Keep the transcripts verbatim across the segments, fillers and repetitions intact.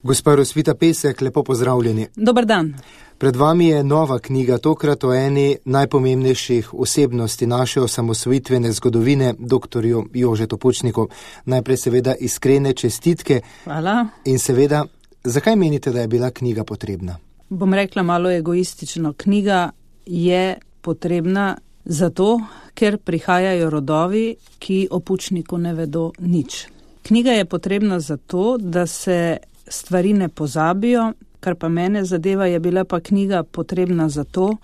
Gospa Rosvita Pesek, lepo pozdravljeni. Dober dan. Pred vami je nova knjiga, tokrat o eni najpomembnejših osebnosti naše osamosvojitvene zgodovine, doktorju Jožetu Pučniku. Najprej seveda iskrene čestitke. Hvala. In seveda, zakaj menite, da je bila knjiga potrebna? Bom rekla malo egoistično. Knjiga je potrebna zato, ker prihajajo rodovi, ki o Pučniku ne vedo nič. Knjiga je potrebna zato, da se stvari ne pozabijo, kar pa mene zadeva, je bila pa knjiga potrebna zato,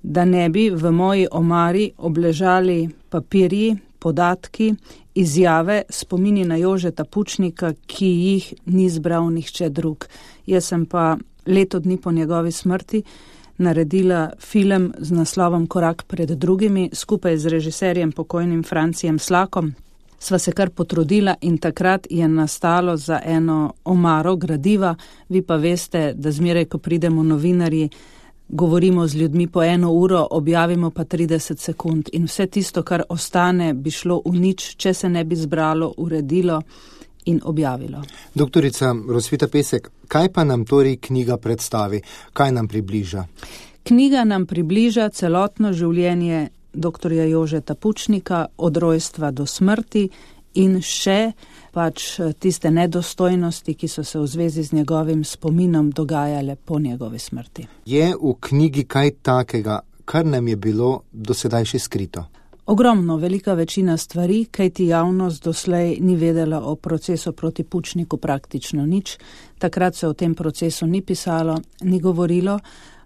da ne bi v moji omari obležali papirji, podatki, izjave, spomini na Jožeta Pučnika, ki jih ni zbral nihče drug. Jaz sem pa leto dni po njegovi smrti naredila film z naslovom Korak pred drugimi, skupaj z režiserjem pokojnim Francijem Slakom. Sva se kar potrudila in takrat je nastalo za eno omaro gradiva. Vi pa veste, da zmeraj, ko pridemo novinarji, govorimo z ljudmi po eno uro, objavimo pa trideset sekund. In vse tisto, kar ostane, bi šlo v nič, če se ne bi zbralo, uredilo in objavilo. Doktorica Rosvita Pesek, kaj pa nam torej knjiga predstavi? Kaj nam približa? Knjiga nam približa celotno življenje doktorja Jožeta Pučnika od rojstva do smrti in še pač tiste nedostojnosti, ki so se v zvezi z njegovim spominom dogajale po njegovi smrti. Je v knjigi kaj takega, kar nam je bilo do sedaj še skrito? Ogromno, velika večina stvari, kajti javnost doslej ni vedela o procesu proti Pučniku praktično nič. Takrat se o tem procesu ni pisalo, ni govorilo.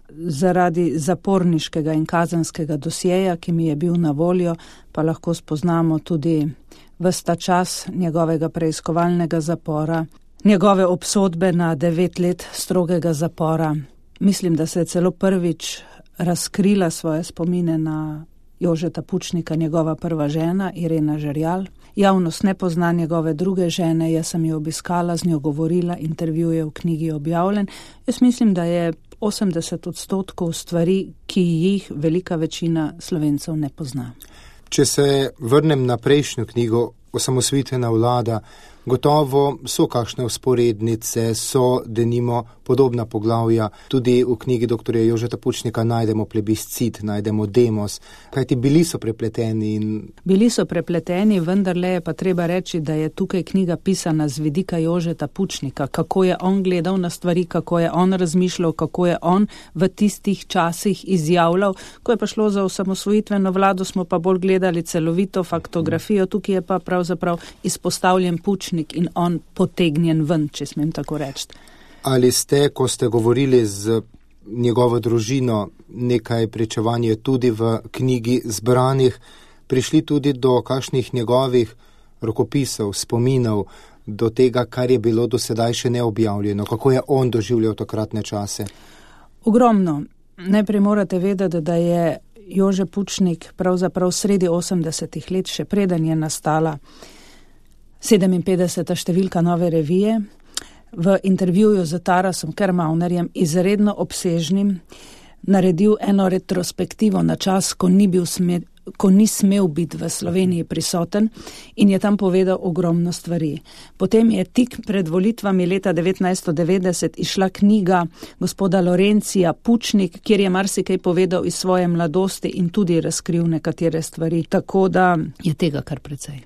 Zaradi zaporniškega in kazenskega dosjeja, ki mi je bil na voljo, pa lahko spoznamo tudi ves ta čas njegovega preiskovalnega zapora, njegove obsodbe na devet let strogega zapora. Mislim, da se je celo prvič razkrila svoje spomine na Jožeta Pučnika, njegova prva žena, Irena Žerjal. Javnost ne pozna njegove druge žene, jaz sem jo obiskala, z njo govorila, intervju je v knjigi objavljen. Jaz mislim, da je osemdeset odstotkov stvari, ki jih velika večina Slovencev ne pozna. Če se vrnem na prejšnjo knjigo, Osamosvojitvena vlada, gotovo so kakšne vzporednice, so denimo podobna poglavja. Tudi v knjigi doktorja Jožeta Pučnika najdemo plebiscit, najdemo demos. Kajti bili so prepleteni? In... Bili so prepleteni, vendarle je pa treba reči, da je tukaj knjiga pisana z vidika Jožeta Pučnika, kako je on gledal na stvari, kako je on razmišljal, kako je on v tistih časih izjavljal. Ko je pa šlo za osamosvojitveno vlado, smo pa bolj gledali celovito faktografijo, tukaj je pa pravzaprav izpostavljen Pučnik in on potegnjen ven, če smem tako reči. Ali ste, ko ste govorili z njegovo družino, nekaj pričevanje tudi v knjigi zbranih, prišli tudi do kakšnih njegovih rokopisov, spominov, do tega, kar je bilo do sedaj še neobjavljeno, kako je on doživljal takratne čase? Ogromno. Najprej morate vedeti, da je Jože Pučnik pravzaprav sredi osemdesetih let, še preden je nastala sedeminpetdeseta številka Nove revije, v intervjuju z Tarasom Kermaunerjem, izredno obsežnim, naredil eno retrospektivo na čas, ko ni bil sme, ko ni smel biti v Sloveniji prisoten in je tam povedal ogromno stvari. Potem je tik pred volitvami leta devetnajststo devetdeset išla knjiga gospoda Lorencija Pučnik, kjer je marsikaj povedal iz svoje mladosti in tudi razkril nekatere stvari, tako da je tega kar precej.